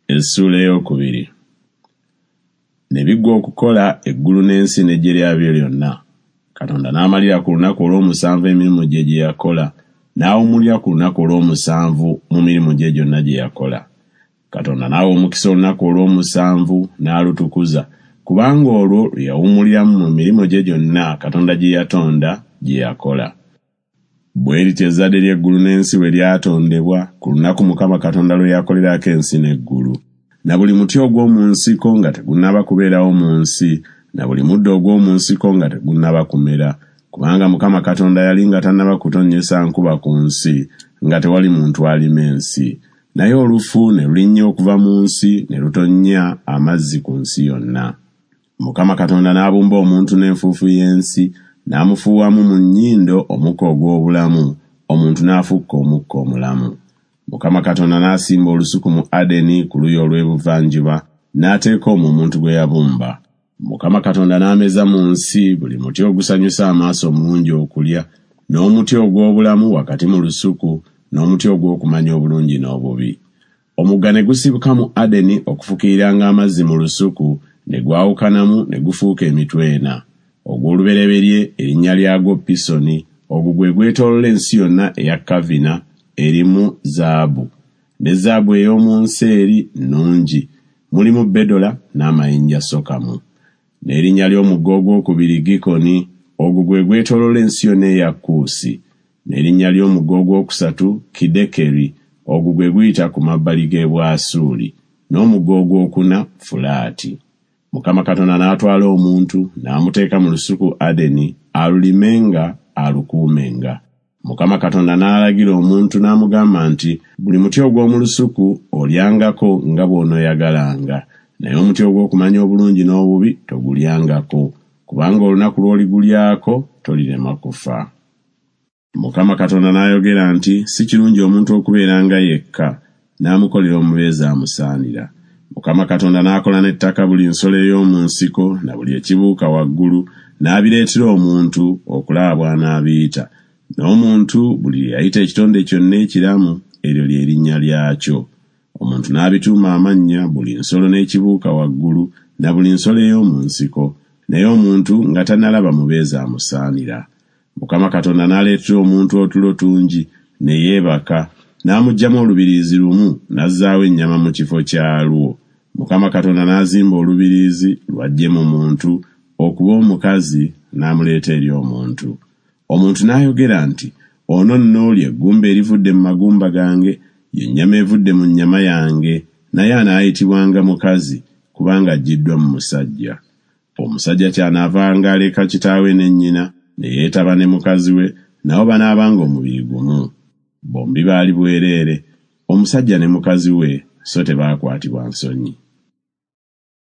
Essuula ey'okubiri. Ne biggwa okukola eggulu n'ensi n'eggye lyabyo lyonna. Katonda n'amalira ku lunaku olw'omusanvu emirimu gye gye yakola, n'awummulira ku lunaku olw'omusanvu mu mirimu gye gyonna gye yakola. Katonda n'awa omukisa olunaku olw'omusanvu n'alutukuza, kubanga olwo lwe yawummuliramu mu mirimu gye gyonna Katonda gye yatonda gye yakola. Bwe lityo ezzadde ly'eggulu n'ensi bwe lyatondebwa ku lunaku Mukama Katonda lwe yakolerako ensi n'eggulu. Na buli muti ogw'omu nsiko nga tegunnaba kubeerawo mu nsi, na buli muddo ogw'omu nsiko nga tegunnaba kumera, kubanga Mukama Katonda yali nga tannaba kutonnyesa nkuba ku nsi, nga tewali muntu alima ensi. Naye olufu ne lulinnya okuva mu nsi ne lutonnya amazzi ku nsi yonna. Mukama Katonda n'abumba omuntu n'enfuufu y'ensi, n'amufuuwamu mu nnyindo omukka ogw'obulamu, omuntu n'afuuka omukka omulamu. Mukama Katonda n'asimba olusuku mu Adeni ku luuyi olw'ebuvanjuba, n'ateeka omwo omuntu gwe yabumba. Mukama Katonda n'ameza mu nsi buli muti ogusanyusa amaaso omulungi okulya, n'omuti ogw'obulamu wakati mu lusuku, n'omuti ogw'okumanya obulungi n'obubi. Omugga ne gusibuka mu Adeni okufukiriranga amazzi mu lusuku, ne gwawukanamu ne gufuuka emitwe ena. Ogw'olubereberye erinnya lyagwo Pisoni, ogwo gwe gwetooloola ensi yonna eya Kavina, erimu zaabu. Ne zaabu ey'omu nsi eri nnungi, mulimu bedola n'amayinja sokamu. N'erinnya ly'omugga ogwokubiri Gikoni, ogwo gwe gwetooloola ensi yonna eya Kuusi. N'erinnya ly'omugga ogwokusatu Kidekeri, ogwo gwe guyita ku mabbali g'e Bwasuuli. N'omugga ogwokuna Fulaati. Mukama Katonda n'atwala omuntu, n'amuteeka mu lusuku Adeni, alulimenga, alukuumenga. Mukama Katonda n'alagira omuntu n'amugamba nti, Buli muti ogw'omu lusuku olyangako nga bw'onooyagalanga, naye omuti ogw'okumanya obulungi n'obubi togulyangako, kubanga olunaku lw'oligulyako tolirema kufa. Mukama Katonda n'ayogera nti, Si kirungi omuntu okubeeranga yekka, n'amukolera omubeezi amusaanira. Mukama Katonda n'akola n'ettaka buli nsolo ey'omu nsiko na buli ekibuuka waggulu, n'abireetera omuntu okulaba bw'anaabiyita. N'omuntu buli lye yayita ekitonde kyonna ekiramu, eryo lye linnya lyakyo. Omuntu n'abituuma amannya buli nsolo n'ekibuuka waggulu na buli nsolo ey'omu nsiko, naye omuntu nga tannalaba mubeezi amusaanira. Mukama Katonda n'aleetera omuntu otulo tungi, ne yeebaka, n'amuggyamu olubiriizi lumu, n'azzaawo ennyama mu kifo kyalwo. Mukama Katonda n'azimba olubiriizi lw'aggye mu muntu, okuba omukazi, n'amuleeta eri omuntu. Omuntu n'ayogera nti, Ono nno lye ggumba erivudde mu magumba gange, ye nnyama evudde mu nnyama yange, naye anaayitibwanga mukazi, kubanga aggyiddwa mu musajja. Omusajja ky'anaavanga aleka kitaawe ne nnyina, ne yeetaba ne mukazi we, nabo banaabanga omubiri gumu. Bombi baali bwereere, omusajja ne mukazi we, so tebaakwatibwa nsonyi.